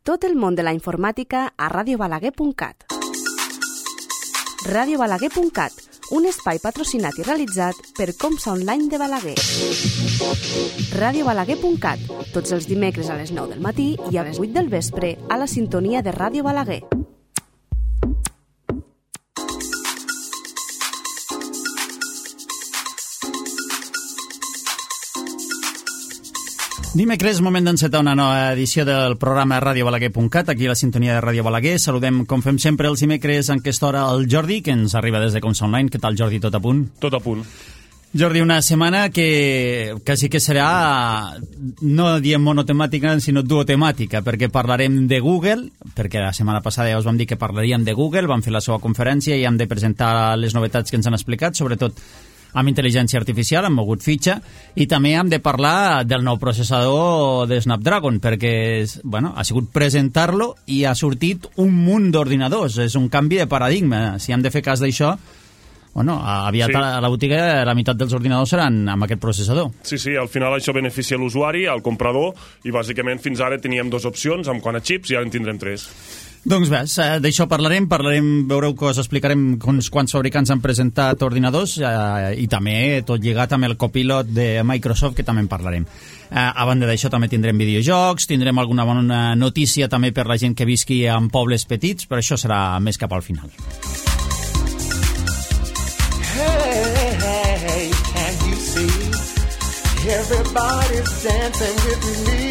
Tot el món de la informàtica a radiobalaguer.cat. Radiobalaguer.cat, un espai patrocinat i realitzat per Comsa Online de Balaguer. Radiobalaguer.cat, tots els dimecres a les 9 del matí i a les 8 del vespre a la sintonia de Ràdio Balaguer. Dimecres, moment d'encetar una nova edició del programa radiobalaguer.cat, aquí a la sintonia de Ràdio Balaguer. Saludem, com fem sempre, els dimecres en aquesta hora, el Jordi, que ens arriba des de Comsa Online. Què tal, Jordi? Tot a punt? Tot a punt. Jordi, una setmana que quasi que serà, no diem monotemàtica, sinó duotemàtica, perquè parlarem de Google, perquè la setmana passada ja us vam dir que parlaríem de Google, vam fer la seva conferència i hem de presentar les novetats que ens han explicat, sobretot amb intel·ligència artificial, hem mogut fitxa, i també hem de parlar del nou processador de Snapdragon, perquè bueno, ha sigut presentar-lo i ha sortit un munt d'ordinadors. És un canvi de paradigma. Si hem de fer cas d'això, bueno, aviat sí. A la botiga la meitat dels ordinadors seran amb aquest processador. Sí, al final això beneficia l'usuari, al comprador, i bàsicament fins ara teníem dues opcions, amb quant a xips, i ara en tindrem tres. Doncs bé, d'això parlarem, veureu que us explicarem quants fabricants han presentat ordinadors i també tot lligat amb el copilot de Microsoft, que també en parlarem. A banda d'això també tindrem videojocs, tindrem alguna bona notícia també per la gent que visqui en pobles petits, però això serà més cap al final. Hey, can you see? Everybody's dancing with me.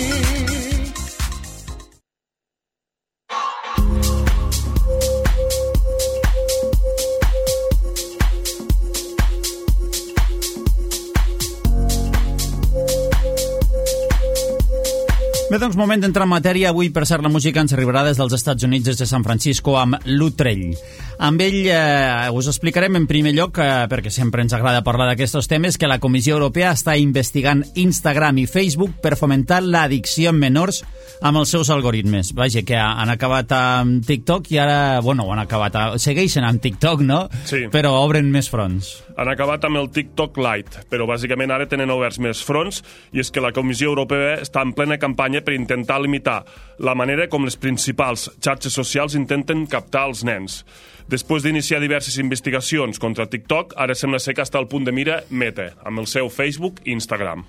Bé, doncs, moment d'entrar en matèria. Avui, per cert, la música ens arribarà des dels Estats Units, des de San Francisco, amb Lutrell. Amb ell us explicarem en primer lloc, perquè sempre ens agrada parlar d'aquests temes, que la Comissió Europea està investigant Instagram i Facebook per fomentar l'addicció en menors amb els seus algoritmes. Vaja, que han acabat amb TikTok i ara, bueno, segueixen amb TikTok, no? Sí. Però obren més fronts. Han acabat amb el TikTok Lite, però bàsicament ara tenen oberts més fronts, i és que la Comissió Europea està en plena campanya per intentar limitar la manera com les principals xarxes socials intenten captar els nens. Després d'iniciar diverses investigacions contra TikTok, ara sembla ser que està al punt de mira Meta, amb el seu Facebook i Instagram.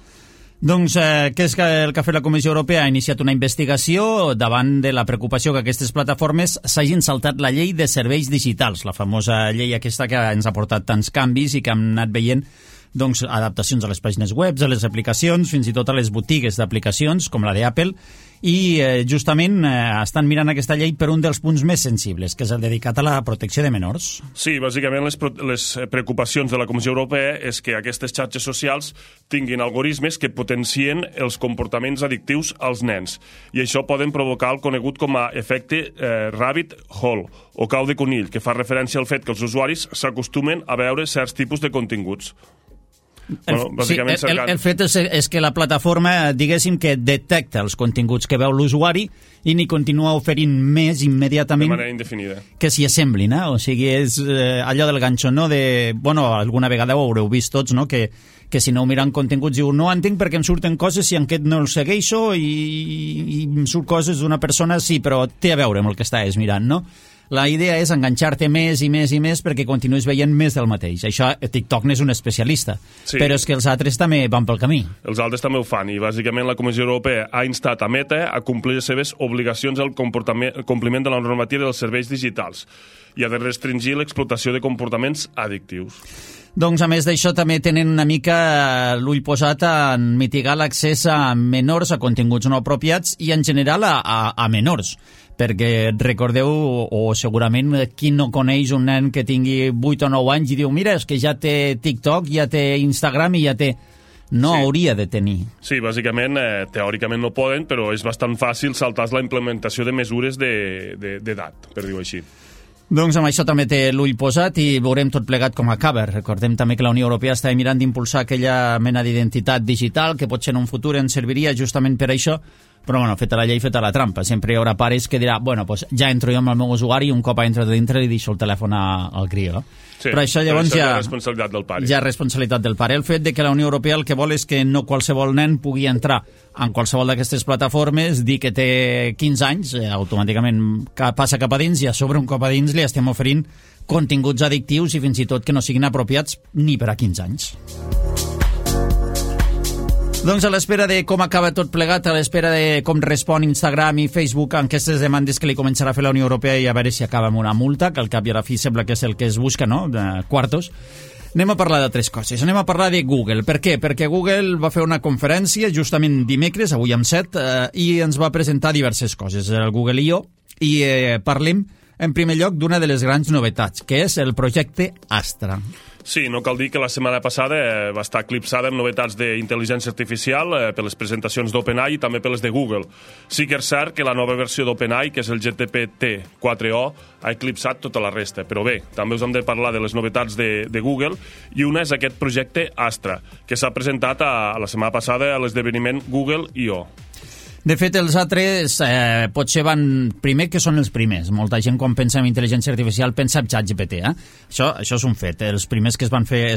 Doncs què és el que ha fet la Comissió Europea? Ha iniciat una investigació davant de la preocupació que aquestes plataformes s'hagin saltat la llei de serveis digitals, la famosa llei aquesta que ens ha portat tants canvis i que hem anat veient doncs, adaptacions a les pàgines web, a les aplicacions, fins i tot a les botigues d'aplicacions, com la d'Apple, i justament estan mirant aquesta llei per un dels punts més sensibles, que és el dedicat a la protecció de menors. Sí, bàsicament les preocupacions de la Comissió Europea és que aquestes xarxes socials tinguin algoritmes que potencien els comportaments addictius als nens, i això poden provocar el conegut com a efecte rabbit hole, o cau de conill, que fa referència al fet que els usuaris s'acostumen a veure certs tipus de continguts. El fet és que la plataforma, diguéssim, que detecta els continguts que veu l'usuari i n'hi continua oferint més immediatament. De manera indefinida. Que s'hi assemblin, eh? O sigui, és allò del ganxo, no? Bueno, alguna vegada ho haureu vist tots, no? Que si no miren continguts diu, no entenc perquè em surten coses si en aquest no el segueixo i em surt coses d'una persona, sí, però té a veure amb el que estàs mirant, no? La idea és enganxar-te més i més i més perquè continuïs veient més del mateix. Això TikTok n'és un especialista, sí. Però és que els altres també van pel camí. Els altres també ho fan, i bàsicament la Comissió Europea ha instat a Meta a complir les seves obligacions al compliment de la normativa dels serveis digitals i ha de restringir l'explotació de comportaments addictius. Doncs, a més d'això, també tenen una mica l'ull posat en mitigar l'accés a menors a continguts no apropiats i, en general, a menors. Perquè recordeu, o segurament qui no coneix un nen que tingui 8 o 9 anys i diu, mira, és que ja té TikTok, ja té Instagram i ja té... No sí. Hauria de tenir. Sí, bàsicament, teòricament no poden, però és bastant fàcil saltar la implementació de mesures d'edat, per dir-ho així. Doncs amb això també té l'ull posat i veurem tot plegat com acaba. Recordem també que la Unió Europea està mirant d'impulsar aquella mena d'identitat digital que potser en un futur ens serviria justament per això, Però bueno, feta la llei, feta la trampa. Sempre hi haurà pares que dirà, bueno, pues ja entro jo amb el meu usuari i un cop entro dintre li deixo el telèfon al crió. Sí, però això llavors ja és responsabilitat del pare. Ja és responsabilitat del pare. El fet de que la Unió Europea el que vol és que no qualsevol nen pugui entrar en qualsevol d'aquestes plataformes, dir que té 15 anys, automàticament passa cap a dins i a sobre un cop a dins li estem oferint continguts addictius i fins i tot que no siguin apropiats ni per a 15 anys. Doncs a l'espera de com acaba tot plegat, a l'espera de com respon Instagram i Facebook en aquestes demandes que li començarà a fer la Unió Europea i a veure si acaba amb una multa, que al cap i a la fi sembla que és el que es busca, no?, de quartos. Anem a parlar d'altres coses. Anem a parlar de Google. Per què? Perquè Google va fer una conferència justament dimecres, avui amb 7, i ens va presentar diverses coses, el Google I.O., i parlem en primer lloc d'una de les grans novetats, que és el projecte Astra. Sí, no cal dir que la setmana passada va estar eclipsada amb novetats d'intel·ligència artificial per les presentacions d'OpenAI i també per les de Google. Sí que és cert que la nova versió d'OpenAI, que és el GPT-4o, ha eclipsat tota la resta. Però bé, també us hem de parlar de les novetats de Google, i una és aquest projecte Astra, que s'ha presentat la setmana passada a l'esdeveniment Google I.O. De fet, els altres potser van primer que són els primers. Molta gent quan pensa en intel·ligència artificial pensa en ChatGPT. Això és un fet. Els primers que es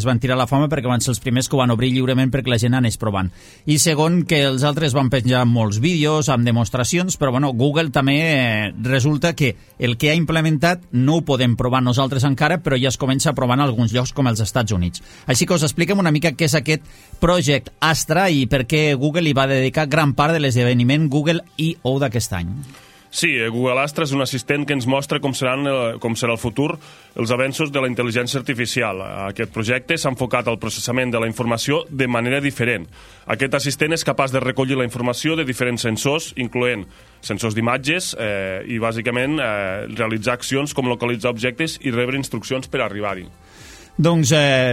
van tirar a la fama perquè van ser els primers que ho van obrir lliurement perquè la gent anés provant. I segon, que els altres van penjar molts vídeos amb demostracions, però bueno, Google també resulta que el que ha implementat no ho podem provar nosaltres encara, però ja es comença a provar en alguns llocs com els Estats Units. Així que us expliquem una mica què és aquest Project Astra i per què Google hi va dedicar gran part de l'esdeveniment Google I.O. d'aquest any. Sí, Google Astra és un assistent que ens mostra com serà el futur els avenços de la intel·ligència artificial. Aquest projecte s'ha enfocat al processament de la informació de manera diferent. Aquest assistent és capaç de recollir la informació de diferents sensors, incloent sensors d'imatges i, bàsicament, realitzar accions com localitzar objectes i rebre instruccions per arribar-hi. Doncs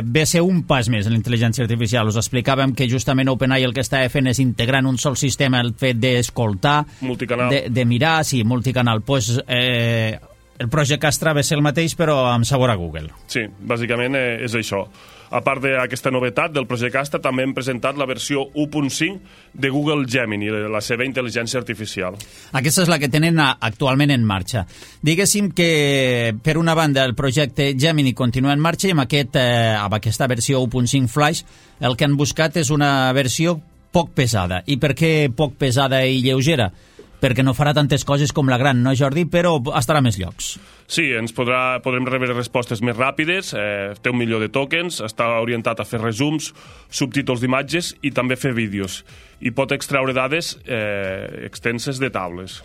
ve a ser un pas més en la intel·ligència artificial. Us explicàvem que justament OpenAI el que estava fent és integrar en un sol sistema el fet d'escoltar, de mirar, sí, multicanal. Pues, el projecte Astra ve a ser el mateix però amb sabor a Google. Sí, bàsicament és això. A part d'aquesta novetat del projecte Astra, també hem presentat la versió 1.5 de Google Gemini, la seva intel·ligència artificial. Aquesta és la que tenen actualment en marxa. Diguéssim que, per una banda, el projecte Gemini continua en marxa i amb aquesta versió 1.5 Flash el que han buscat és una versió poc pesada. I per què poc pesada i lleugera? Perquè no farà tantes coses com la gran, no, Jordi? Però estarà a més llocs. Sí, podrem rebre respostes més ràpides, té 1 milió de tokens, està orientat a fer resums, subtítols d'imatges i també fer vídeos. I pot extraure dades extenses de taules.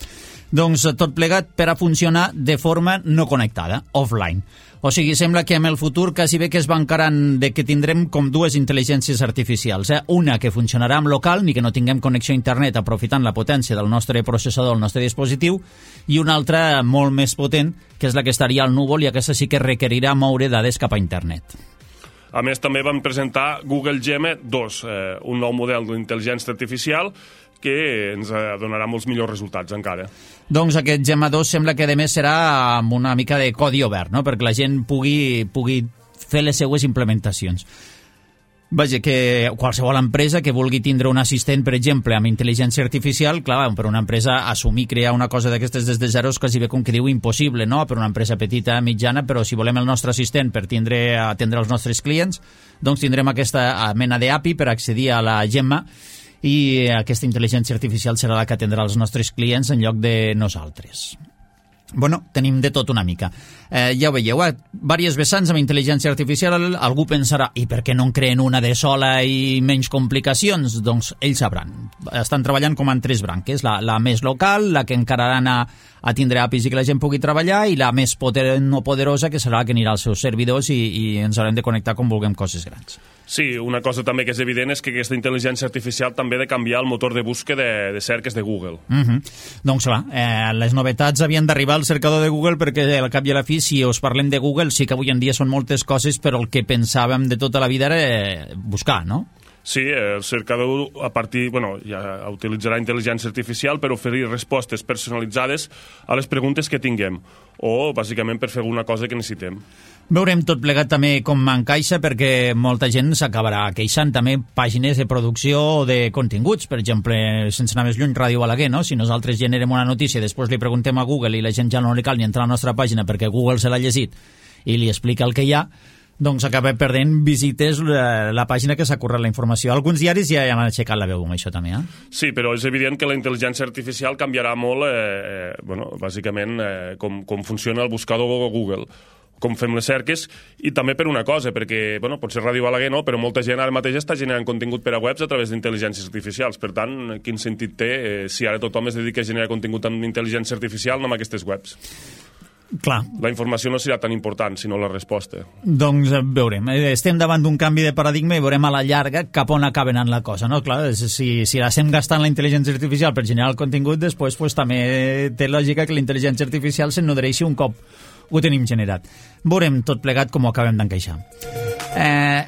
Doncs tot plegat per a funcionar de forma no connectada, offline. O sigui, sembla que en el futur quasi bé que es bancaran de que tindrem com dues intel·ligències artificials. Una que funcionarà en local, ni que no tinguem connexió a internet aprofitant la potència del nostre processador, el nostre dispositiu, i una altra molt més potent, que és la que estaria al núvol i aquesta sí que requerirà moure dades cap a internet. A més, també vam presentar Google Gemma 2, un nou model d'intel·ligència artificial que ens donarà molts millors resultats encara. Doncs aquest Gemma 2 sembla que a més serà amb una mica de codi obert, no?, perquè la gent pugui fer les seues implementacions. Vaja, que qualsevol empresa que vulgui tindre un assistent, per exemple, amb intel·ligència artificial, clar, per una empresa assumir crear una cosa d'aquestes des de zero és quasi bé com que diu impossible, no?, per una empresa petita, mitjana, però si volem el nostre assistent per atendre els nostres clients, doncs tindrem aquesta mena d'API per accedir a la Gemma i aquesta intel·ligència artificial serà la que atendrà els nostres clients en lloc de nosaltres. Bueno, tenim de tot una mica. Ja ho veieu, diverses vessants amb intel·ligència artificial. Algú pensarà, i per què no en creen una de sola i menys complicacions? Doncs ells sabran. Estan treballant com en 3 branques. La més local, la que encara ha d'anar a tindre APIs i que la gent pugui treballar, i la més potent o poderosa, que serà la que anirà als seus servidors i ens haurem de connectar com vulguem coses grans. Sí, una cosa també que és evident és que aquesta intel·ligència artificial també ha de canviar el motor de búsqueda de cerques de Google. Doncs va, les novetats havien d'arribar al cercador de Google perquè al cap i a la fi, si us parlem de Google, sí que avui en dia són moltes coses, però el que pensàvem de tota la vida era buscar, no? Sí, el cercador ja utilitzarà intel·ligència artificial per oferir respostes personalitzades a les preguntes que tinguem o, bàsicament, per fer alguna cosa que necessitem. Veurem tot plegat també com encaixa, perquè molta gent s'acabarà queixant també pàgines de producció o de continguts. Per exemple, sense anar més lluny, Ràdio Balaguer, no? Si nosaltres generem una notícia i després li preguntem a Google i la gent ja no li cal ni entrar a la nostra pàgina perquè Google se l'ha llegit i li explica el que hi ha, doncs acaba perdent visites la pàgina que s'ha currat la informació. Alguns diaris ja han aixecat la veu amb això també, Sí, però és evident que la intel·ligència artificial canviarà molt, bàsicament, com funciona el buscador Google, com fem les cerques, i també per una cosa, perquè, potser Ràdio Balaguer no, però molta gent ara mateix està generant contingut per a webs a través d'intel·ligències artificials. Per tant, quin sentit té si ara tothom es dedica a generar contingut amb intel·ligència artificial amb aquestes webs? Clar. La informació no serà tan important, sinó la resposta. Doncs veurem. Estem davant d'un canvi de paradigma i veurem a la llarga cap on acaba anant la cosa, no? Clar, si estem gastant la intel·ligència artificial per generar el contingut, després també té lògica que la intel·ligència artificial se'n nodreixi un cop ho tenim generat. Veurem tot plegat com ho acabem d'encaixar.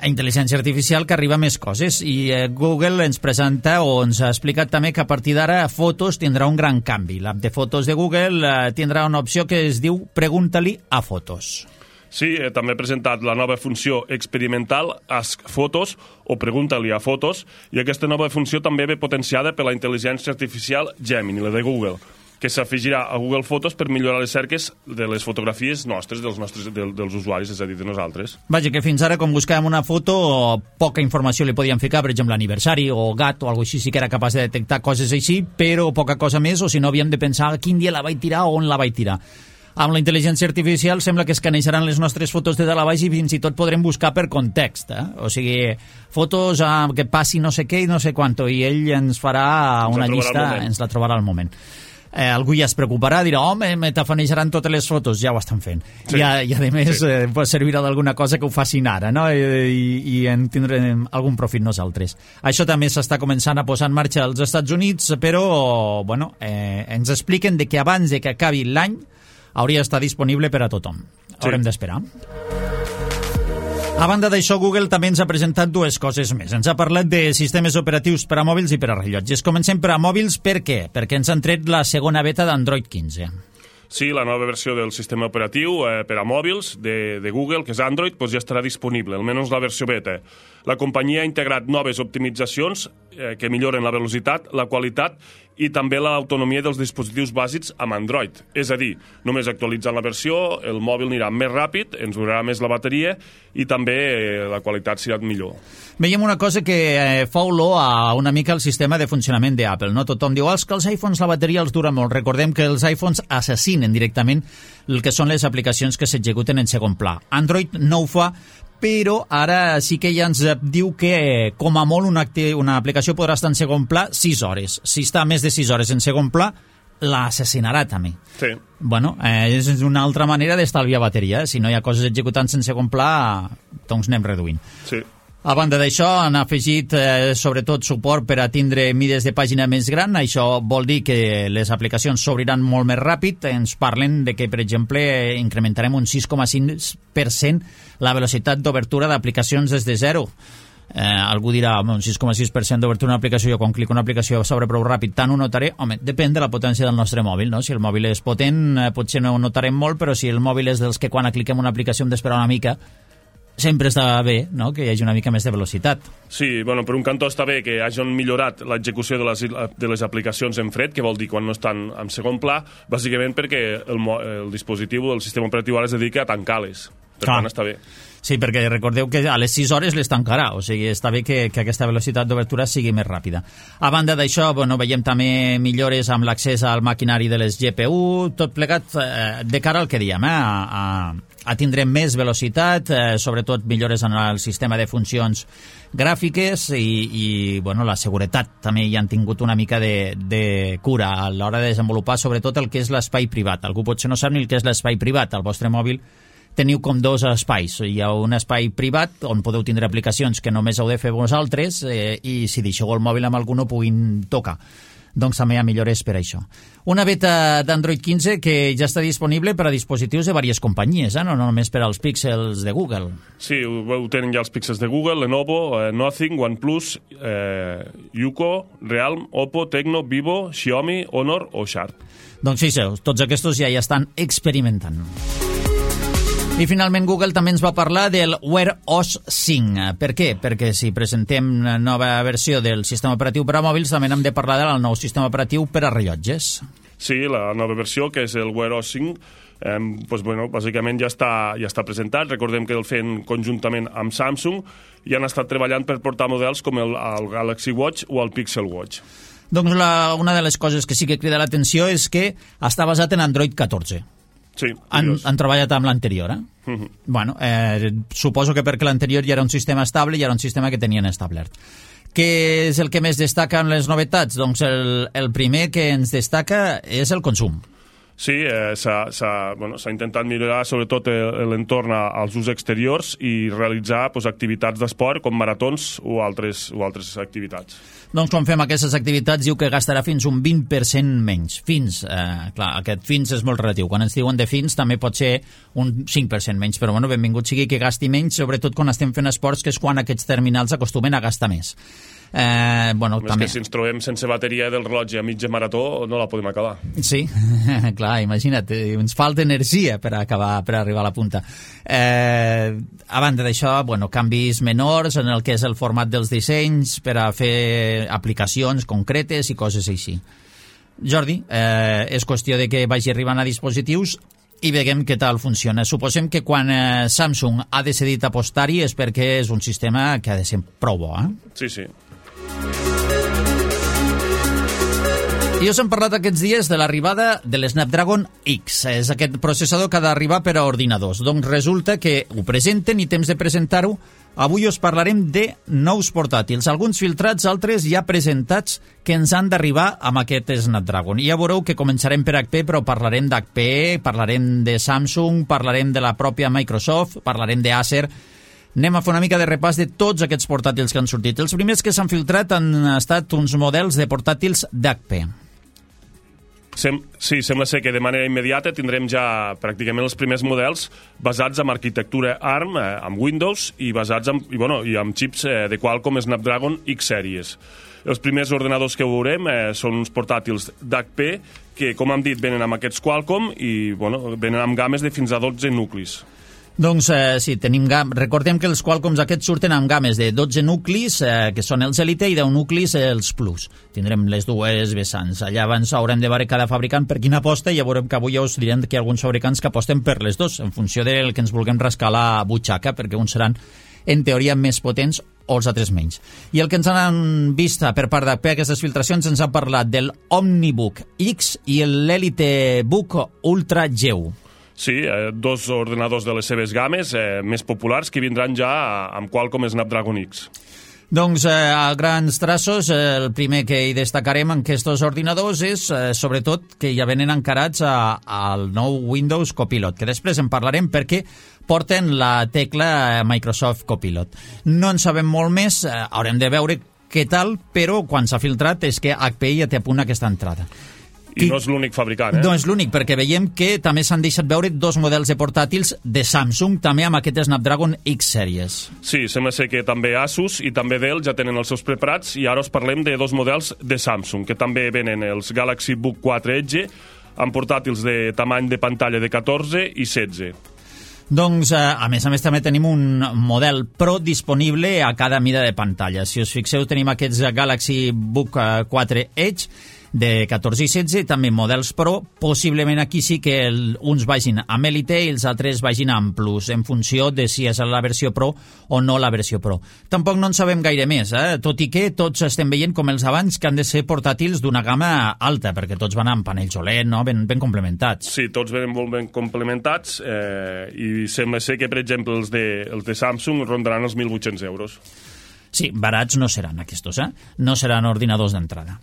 Intel·ligència artificial que arriba a més coses, i Google ens presenta o ens ha explicat també que a partir d'ara Fotos tindrà un gran canvi. L'app de Fotos de Google tindrà una opció que es diu Pregunta-li a Fotos. Sí, també ha presentat la nova funció experimental Ask Fotos o Pregunta-li a Fotos, i aquesta nova funció també ve potenciada per la intel·ligència artificial Gemini, la de Google, que s'afegirà a Google Fotos per millorar les cerques de les fotografies nostres, dels usuaris, és a dir, de nosaltres. Vaja, que fins ara, quan buscàvem una foto, poca informació li podíem ficar, per exemple, aniversari o gat o alguna cosa així, sí que era capaç de detectar coses així, però poca cosa més, o si no havíem de pensar quin dia la vaig tirar o on la vaig tirar. Amb la intel·ligència artificial sembla que escaneixaran les nostres fotos de dalt a baix i fins i tot podrem buscar per context, O sigui, fotos que passi no sé què i no sé quanto, i ell ens farà una llista, ens la trobarà al moment. Algú ja es preocuparà, dirà, me tafanejaran totes les fotos, ja ho estan fent. Sí. I a més, servirà d'alguna cosa que ho facin ara, no? I en tindrem algun profit nosaltres. Això també s'està començant a posar en marxa als Estats Units, però, ens expliquen que abans de que acabi l'any hauria d'estar disponible per a tothom. Haurem d'esperar. A banda d'això, Google també ens ha presentat dues coses més. Ens ha parlat de sistemes operatius per a mòbils i per a rellotges. Comencem per a mòbils, per què? Perquè ens han tret la segona beta d'Android 15. Sí, la nova versió del sistema operatiu per a mòbils de Google, que és Android, ja estarà disponible, almenys la versió beta. La companyia ha integrat noves optimitzacions que milloren la velocitat, la qualitat i també l'autonomia dels dispositius bàsics amb Android. És a dir, només actualitzant la versió, el mòbil anirà més ràpid, ens durarà més la bateria i també la qualitat serà millor. Veiem una cosa que fa olor a una mica el sistema de funcionament d'Apple, no? Tothom diu que els iPhones la bateria els dura molt. Recordem que els iPhones assassinen directament el que són les aplicacions que s'executen en segon pla. Android no ho fa, però ara sí que ja ens diu que com a molt una aplicació podrà estar en segon pla 6 hores. Si està més de 6 hores en segon pla, l'assassinarà també. Sí. És una altra manera d'estalviar bateria. Si no hi ha coses executant-se en segon pla, doncs anem reduint. Sí. A banda d'això, han afegit sobretot suport per a tindre mides de pàgina més gran. Això vol dir que les aplicacions s'obriran molt més ràpid. Ens parlen de que, per exemple, incrementarem un 6,5% la velocitat d'obertura d'aplicacions des de zero. Algú dirà, un 6,6% d'obertura d'una aplicació, jo quan clico una aplicació s'obre prou ràpid, tant ho notaré? Home, depèn de la potència del nostre mòbil, no? Si el mòbil és potent, potser no ho notarem molt, però si el mòbil és dels que quan cliquem una aplicació hem d'esperar una mica, sempre està bé, no?, que hi hagi una mica més de velocitat. Sí, per un cantó està bé que hagin millorat l'execució de les aplicacions en fred, que vol dir quan no estan en segon pla, bàsicament perquè el dispositiu, el sistema operatiu ara es dedica a tancar-les. Per tant, està bé. Sí, perquè recordeu que a les 6 hores les tancarà, o sigui, està bé que aquesta velocitat d'obertura sigui més ràpida. A banda d'això, veiem també millores amb l'accés al maquinari de les GPU, tot plegat de cara al que diem, a tindre més velocitat, sobretot millores en el sistema de funcions gràfiques i la seguretat també hi han tingut una mica de cura a l'hora de desenvolupar sobretot el que és l'espai privat. Algú potser no sap ni el que és l'espai privat. Al vostre mòbil teniu com dos espais. Hi ha un espai privat on podeu tindre aplicacions que només heu de fer vosaltres i si deixeu el mòbil amb algú no puguin tocar. doncs també hi ha millores per això. Una beta d'Android 15 que ja està disponible per a dispositius de diverses companyies, no només per als Pixels de Google. Sí, ho tenen ja els Pixels de Google, Lenovo, Nothing, OnePlus, Yuko, Realme, Oppo, Tecno, Vivo, Xiaomi, Honor o Sharp. Doncs fixeu, tots aquests ja estan experimentant. I finalment Google també ens va parlar del Wear OS 5. Per què? Perquè si presentem una nova versió del sistema operatiu per a mòbils també hem de parlar del nou sistema operatiu per a rellotges. Sí, la nova versió, que és el Wear OS 5, bàsicament ja està presentat. Recordem que el feien conjuntament amb Samsung i han estat treballant per portar models com el Galaxy Watch o el Pixel Watch. Doncs una de les coses que sí que crida l'atenció és que està basat en Android 14. Sí, han treballat amb l'anterior, Bueno, suposo que perquè l'anterior ja era un sistema estable i era un sistema que tenien establert. Què és el que més destaca en les novetats? Doncs el primer que ens destaca és el consum. Sí, s'ha intentat millorar sobretot l'entorn als usos exteriors i realitzar activitats d'esport com maratons o altres activitats. Doncs quan fem aquestes activitats diu que gastarà fins un 20% menys. Fins, clar, aquest fins és molt relatiu. Quan ens diuen de fins també pot ser un 5% menys, però bueno, benvingut sigui que gasti menys, sobretot quan estem fent esports, que és quan aquests terminals acostumen a gastar més. També. Que si ens trobem sense bateria del rellotge a mitja marató no la podem acabar. Sí, clar, imagina't, ens falta energia per arribar a la punta. A banda d'això, canvis menors en el que és el format dels dissenys per a fer aplicacions concretes i coses així. Jordi, és qüestió de que vagi arribant a dispositius i veiem què tal funciona. Suposem que quan Samsung ha decidit apostar-hi és perquè és un sistema que ha de ser prou bo, Sí, sí. I us hem parlat aquests dies de l'arribada de l'Snapdragon X. És aquest processador que ha d'arribar per a ordinadors. Doncs resulta que ho presenten i temps de presentar-ho. Avui us parlarem de nous portàtils, alguns filtrats, altres ja presentats que ens han d'arribar amb aquest Snapdragon. I ja veureu que començarem per HP, però parlarem d'HP, parlarem de Samsung, parlarem de la pròpia Microsoft, parlarem d'Acer. Anem a fer una mica de repàs de tots aquests portàtils que han sortit. Els primers que s'han filtrat han estat uns models de portàtils d'HP. Sí, sembla ser que de manera immediata tindrem ja pràcticament els primers models basats en arquitectura ARM, amb Windows i basats i amb xips de Qualcomm Snapdragon X Series. Els primers ordenadors que veurem són uns portàtils d'HP que, com hem dit, venen amb aquests Qualcomm i venen amb games de fins a 12 nuclis. Doncs sí, recordem que els Qualcomms aquests surten amb games de 12 nuclis, que són els Elite, i 10 nuclis els Plus. Tindrem les dues vessants. Allà abans haurem de veure cada fabricant per quina aposta, i ja veurem que avui ja us direm que hi ha alguns fabricants que aposten per les dos, en funció del que ens vulguem rascar la butxaca, perquè uns seran, en teoria, més potents o els altres menys. I el que ens han vist per part d'HP, aquestes filtracions, ens han parlat del OmniBook X i l'EliteBook Ultra Geo. Sí, dos ordenadors de les seves games més populars que vindran ja amb Qualcomm Snapdragon X. Doncs a grans traços, el primer que hi destacarem en aquests ordinadors és, sobretot, que ja venen encarats al nou Windows Copilot, que després en parlarem perquè porten la tecla Microsoft Copilot. No en sabem molt més, haurem de veure què tal, però quan s'ha filtrat és que HP ja té a punt aquesta entrada. I no és l'únic fabricant, No és l'únic, perquè veiem que també s'han deixat veure dos models de portàtils de Samsung, també amb aquest Snapdragon X Series. Sí, sembla ser que també Asus i també Dell ja tenen els seus preparats, i ara us parlem de dos models de Samsung, que també venen els Galaxy Book 4 Edge, amb portàtils de tamany de pantalla de 14 i 16. Doncs, a més també tenim un model Pro disponible a cada mida de pantalla. Si us fixeu, tenim aquests Galaxy Book 4 Edge, de 14 i 16, també models Pro. Possiblement aquí sí que uns vagin amb Elite i els altres vagin amb Plus, en funció de si és la versió Pro o no la versió Pro. Tampoc no en sabem gaire més, tot i que tots estem veient com els abans que han de ser portàtils d'una gamma alta, perquè tots van amb panells OLED, no? ben complementats. Sí, tots venen molt ben complementats, i sembla ser que, per exemple, els de Samsung rondaran els 1.800 euros. Sí, barats no seran aquests, no seran ordinadors d'entrada.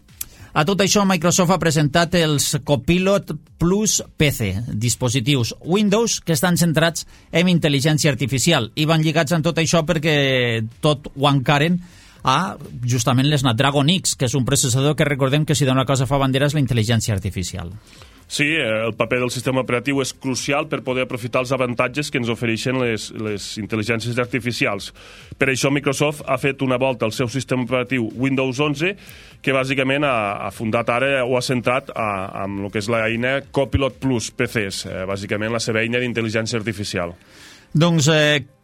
A tot això, Microsoft ha presentat els Copilot Plus PC, dispositius Windows que estan centrats en intel·ligència artificial, i van lligats amb tot això perquè tot ho encaren a justament l'Snapdragon X, que és un processador que recordem que si d'una cosa fa bandera és la intel·ligència artificial. Sí, el paper del sistema operatiu és crucial per poder aprofitar els avantatges que ens ofereixen les intel·ligències artificials. Per això Microsoft ha fet una volta al seu sistema operatiu Windows 11, que bàsicament ha fundat ara o ha centrat amb el que és l'eina Copilot Plus PCs, bàsicament la seva eina d'intel·ligència artificial. Doncs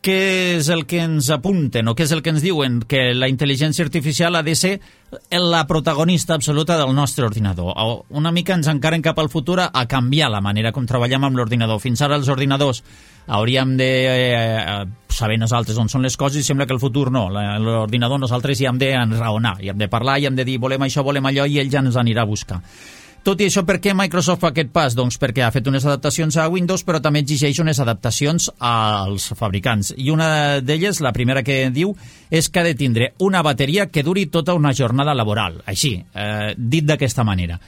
què és el que ens apunten o què és el que ens diuen? Que la intel·ligència artificial ha de ser la protagonista absoluta del nostre ordinador. Una mica ens encaren cap al futur a canviar la manera com treballem amb l'ordinador. Fins ara els ordinadors hauríem de saber nosaltres on són les coses i sembla que el futur no. L'ordinador nosaltres hi hem d'enraonar, hi hem de parlar, hi hem de dir volem això, volem allò i ell ja ens anirà a buscar. Tot i això, per què Microsoft fa aquest pas? Doncs perquè ha fet unes adaptacions a Windows, però també exigeix unes adaptacions als fabricants. I una d'elles, la primera que diu, és que ha de tindre una bateria que duri tota una jornada laboral. Així, dit d'aquesta manera.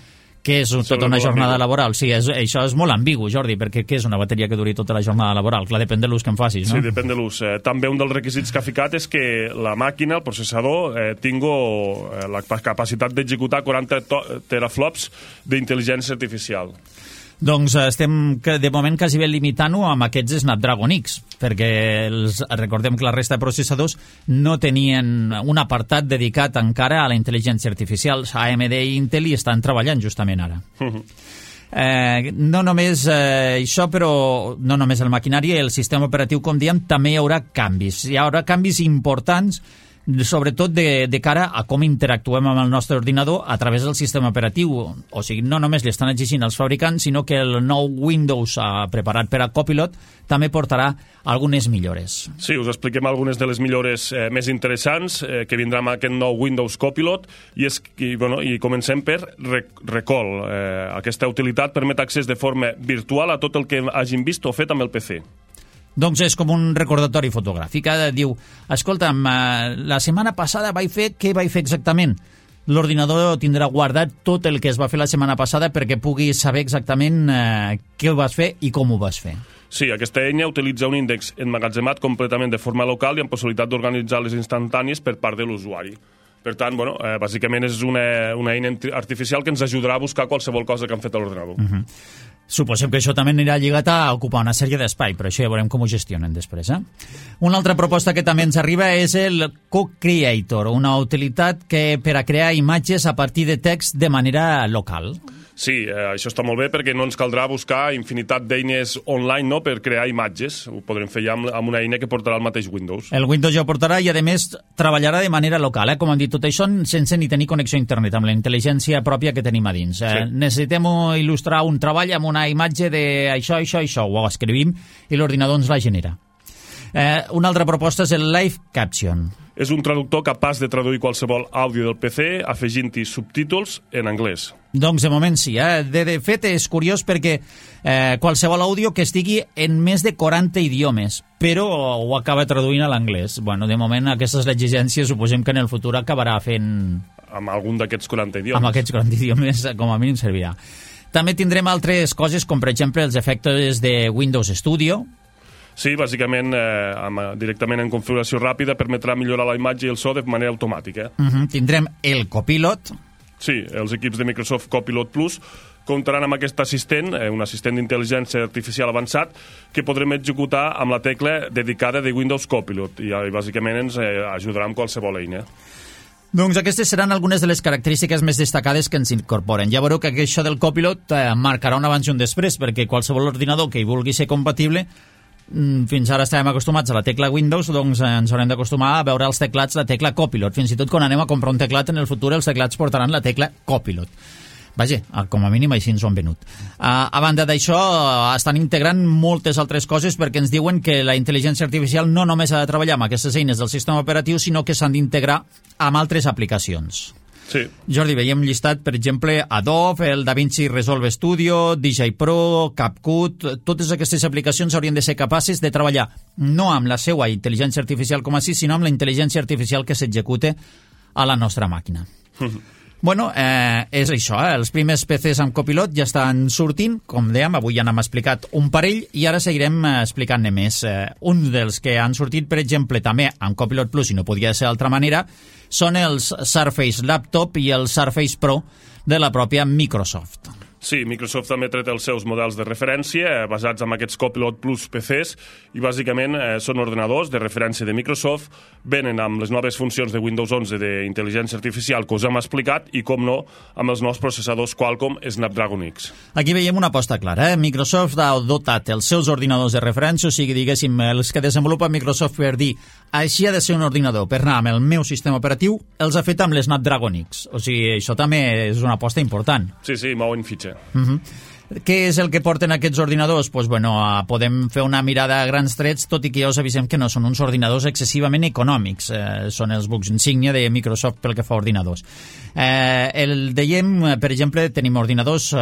Què és tota una jornada laboral? Sí, això és molt ambigu, Jordi, perquè què és una bateria que duri tota la jornada laboral? Clar, depèn de l'ús que en facis, no? Sí, depèn de l'ús. També un dels requisits que ha ficat és que la màquina, el processador, tingui la capacitat d'executar 40 teraflops d'intel·ligència artificial. Doncs estem de moment quasi bé limitant-ho amb aquests Snapdragon X, perquè recordem que la resta de processadors no tenien un apartat dedicat encara a la intel·ligència artificial. AMD i Intel hi estan treballant justament ara. No només això, però no només el maquinari i el sistema operatiu, com diem, també hi haurà canvis. Hi haurà canvis importants, sobretot de cara a com interactuem amb el nostre ordinador a través del sistema operatiu. O sigui, no només li estan exigint als fabricants, sinó que el nou Windows preparat per a Copilot també portarà algunes millores. Sí, us expliquem algunes de les millores més interessants que vindran amb aquest nou Windows Copilot i comencem per Recall. Aquesta utilitat permet accés de forma virtual a tot el que hagin vist o fet amb el PC. Doncs és com un recordatori fotogràfic. Diu, escolta'm, la setmana passada què vaig fer exactament? L'ordinador tindrà guardat tot el que es va fer la setmana passada perquè pugui saber exactament què vas fer i com ho vas fer. Sí, aquesta eina utilitza un índex emmagatzemat completament de forma local i amb possibilitat d'organitzar les instantànies per part de l'usuari. Per tant, bàsicament és una eina artificial que ens ajudarà a buscar qualsevol cosa que han fet a l'ordinador. Suposem que això també anirà lligat a ocupar una sèrie d'espai, però això ja veurem com ho gestionen després. Una altra proposta que també ens arriba és el Co-Creator, una utilitat que per a crear imatges a partir de text de manera local. Sí, això està molt bé perquè no ens caldrà buscar infinitat d'eines online per crear imatges. Ho podrem fer ja amb una eina que portarà el mateix Windows. El Windows ja ho portarà i, a més, treballarà de manera local. Com hem dit, tot això sense ni tenir connexió a internet, amb la intel·ligència pròpia que tenim a dins. Sí. Necessitem il·lustrar un treball amb una imatge d'això, ho escrivim i l'ordinador ens la genera. Una altra proposta és el Live Caption. És un traductor capaç de traduir qualsevol àudio del PC afegint-hi subtítols en anglès. Doncs de moment sí. De fet és curiós perquè qualsevol àudio que estigui en més de 40 idiomes, però ho acaba traduint a l'anglès. De moment aquesta és l'exigència, suposem que en el futur acabarà fent... Amb algun d'aquests 40 idiomes. Amb aquests 40 idiomes com a mínim servirà. També tindrem altres coses com per exemple els efectes de Windows Studio. Sí, bàsicament, directament en configuració ràpida permetrà millorar la imatge i el so de manera automàtica. Tindrem el Copilot. Sí, els equips de Microsoft Copilot Plus comptaran amb aquest assistent, un assistent d'intel·ligència artificial avançat, que podrem executar amb la tecla dedicada de Windows Copilot i bàsicament ens ajudarà amb qualsevol eina. Doncs aquestes seran algunes de les característiques més destacades que ens incorporen. Ja veureu que això del Copilot marcarà un abans i un després, perquè qualsevol ordinador que hi vulgui ser compatible, fins ara estàvem acostumats a la tecla Windows, doncs ens haurem d'acostumar a veure als teclats la tecla Copilot. Fins i tot quan anem a comprar un teclat en el futur, els teclats portaran la tecla Copilot. Vaja, com a mínim així ens ho han venut. A banda d'això, estan integrant moltes altres coses perquè ens diuen que la intel·ligència artificial no només ha de treballar amb aquestes eines del sistema operatiu, sinó que s'han d'integrar amb altres aplicacions. Sí. Jordi, veiem llistat, per exemple, Adobe, el DaVinci Resolve Studio, DJ Pro, CapCut. Totes aquestes aplicacions haurien de ser capaces de treballar no amb la seva intel·ligència artificial com així, sinó amb la intel·ligència artificial que s'execute a la nostra màquina. Bueno, és això, els primers PCs amb copilot ja estan sortint, com dèiem, avui ja n'hem explicat un parell i ara seguirem explicant-ne més. Un dels que han sortit, per exemple, també amb Copilot Plus, i no podia ser d'altra manera, són els Surface Laptop i el Surface Pro de la pròpia Microsoft. Sí, Microsoft també ha tret els seus models de referència basats en aquests Copilot Plus PCs i bàsicament són ordenadors de referència de Microsoft, venen amb les noves funcions de Windows 11 d'intel·ligència artificial que us hem explicat i, com no, amb els nous processadors Qualcomm Snapdragon X. Aquí veiem una aposta clara. Microsoft ha dotat els seus ordinadors de referència, o sigui, diguéssim, els que desenvolupa Microsoft per dir així ha de ser un ordinador per anar amb el meu sistema operatiu, els ha fet amb l'Snapdragon X. O sigui, això també és una aposta important. Sí, mouen fitxa. Què és el que porten aquests ordinadors? Pues, bueno, podem fer una mirada a grans trets, tot i que ja us avisem que no són uns ordinadors excessivament econòmics. Són els bucs insígnia de Microsoft pel que fa a ordinadors. Dèiem, per exemple, tenim ordinadors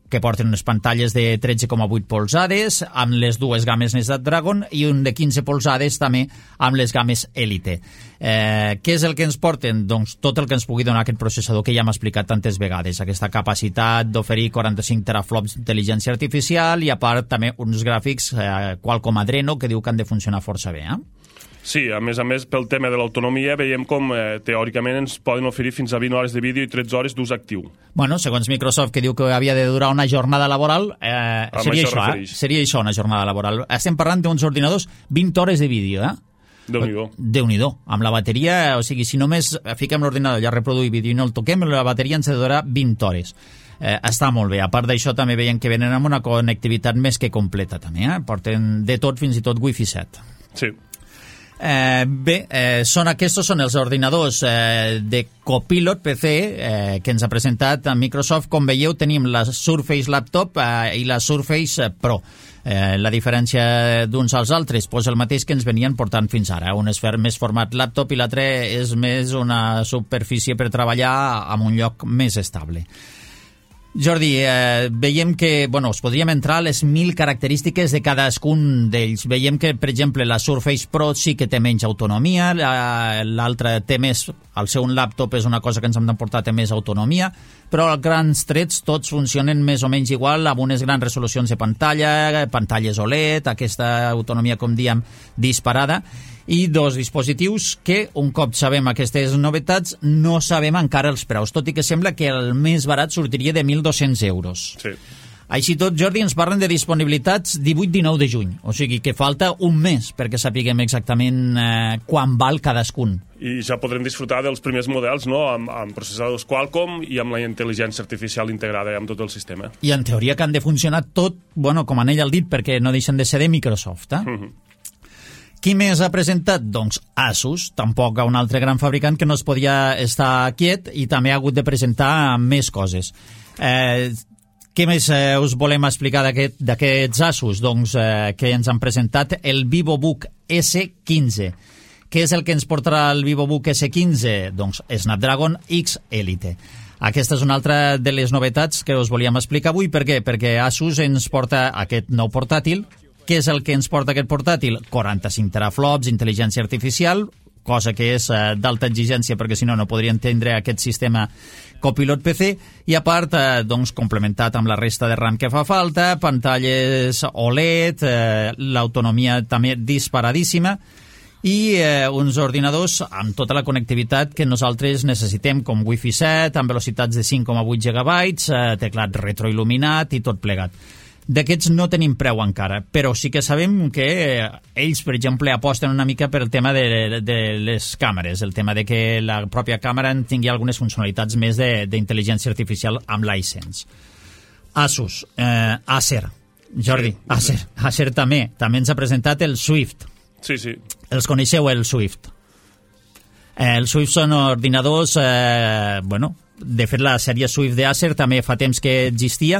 que porten unes pantalles de 13,8 polzades amb les dues games Snapdragon i un de 15 polzades també amb les games Elite. Què és el que ens porten? Doncs tot el que ens pugui donar aquest processador que ja hem explicat tantes vegades, aquesta capacitat d'oferir 45 teraflops d'intel·ligència artificial i a part també uns gràfics Qualcomm Adreno que diu que han de funcionar força bé. Sí, a més, pel tema de l'autonomia veiem com teòricament ens poden oferir fins a 20 hores de vídeo i 13 hores d'ús actiu. Bueno, segons Microsoft, que diu que havia de durar una jornada laboral, seria això, seria això una jornada laboral. Estem parlant d'uns ordinadors 20 hores de vídeo, Déu-n'hi-do. Déu-n'hi-do. Amb la bateria, o sigui, si només fiquem l'ordinador i a reproduir vídeo i no el toquem, la bateria ens ha de durar 20 hores. Està molt bé. A part d'això, també veiem que venen amb una connectivitat més que completa, també. Porten de tot, fins i tot Wi-Fi 7. Sí. Aquests són els ordinadors de Copilot PC que ens ha presentat Microsoft. Com veieu, tenim la Surface Laptop i la Surface Pro. La diferència d'uns als altres, doncs el mateix que ens venien portant fins ara. Un és més format laptop i l'altre és més una superfície per treballar en un lloc més estable. Jordi, veiem que, us podríem entrar a les 1000 característiques de cadascun d'ells. Veiem que, per exemple, la Surface Pro sí que té menys autonomia, l'altra té més, al ser un laptop és una cosa que ens hem d'emportar, té més autonomia, però als grans trets tots funcionen més o menys igual, amb unes grans resolucions de pantalla, pantalles OLED, aquesta autonomia, com diem, disparada, i dos dispositius que, un cop sabem aquestes novetats, no sabem encara els preus, tot i que sembla que el més barat sortiria de 1.200 euros. Sí. Així tot, Jordi, ens parlen de disponibilitats 18-19 de juny, o sigui que falta un mes perquè sapiguem exactament quan val cadascun. I ja podrem disfrutar dels primers models, no?, amb processadors Qualcomm i amb la intel·ligència artificial integrada amb tot el sistema. I en teoria que han de funcionar tot, com en ell el dit, perquè no deixen de ser de Microsoft, Qui més ha presentat? Doncs Asus, tampoc un altre gran fabricant que no es podia estar quiet i també ha hagut de presentar més coses. Què més us volem explicar d'aquests Asus? Doncs que ens han presentat el VivoBook S15. Què és el que ens portarà el VivoBook S15? Doncs Snapdragon X Elite. Aquesta és una altra de les novetats que us volíem explicar avui. Per què? Perquè Asus ens porta aquest nou portàtil. Què és el que ens porta aquest portàtil? 45 teraflops, intel·ligència artificial, cosa que és d'alta exigència perquè si no podrien tindre aquest sistema Copilot PC, i a part complementat amb la resta de RAM que fa falta, pantalles OLED, l'autonomia també disparadíssima i uns ordinadors amb tota la connectivitat que nosaltres necessitem, com Wi-Fi 7, amb velocitats de 5,8 GB, teclat retroil·luminat i tot plegat. D'aquests no tenim preu encara, però sí que sabem que ells, per exemple, aposten una mica per el tema de les càmeres, el tema de que la pròpia càmera tingui algunes funcionalitats més d'intel·ligència artificial amb l'iSense. Asus, Acer, Jordi, sí. Acer també ens ha presentat el Swift. Sí. Els coneixeu, el Swift? Els Swift són ordinadors, de fet la sèrie Swift d'Acer també fa temps que existia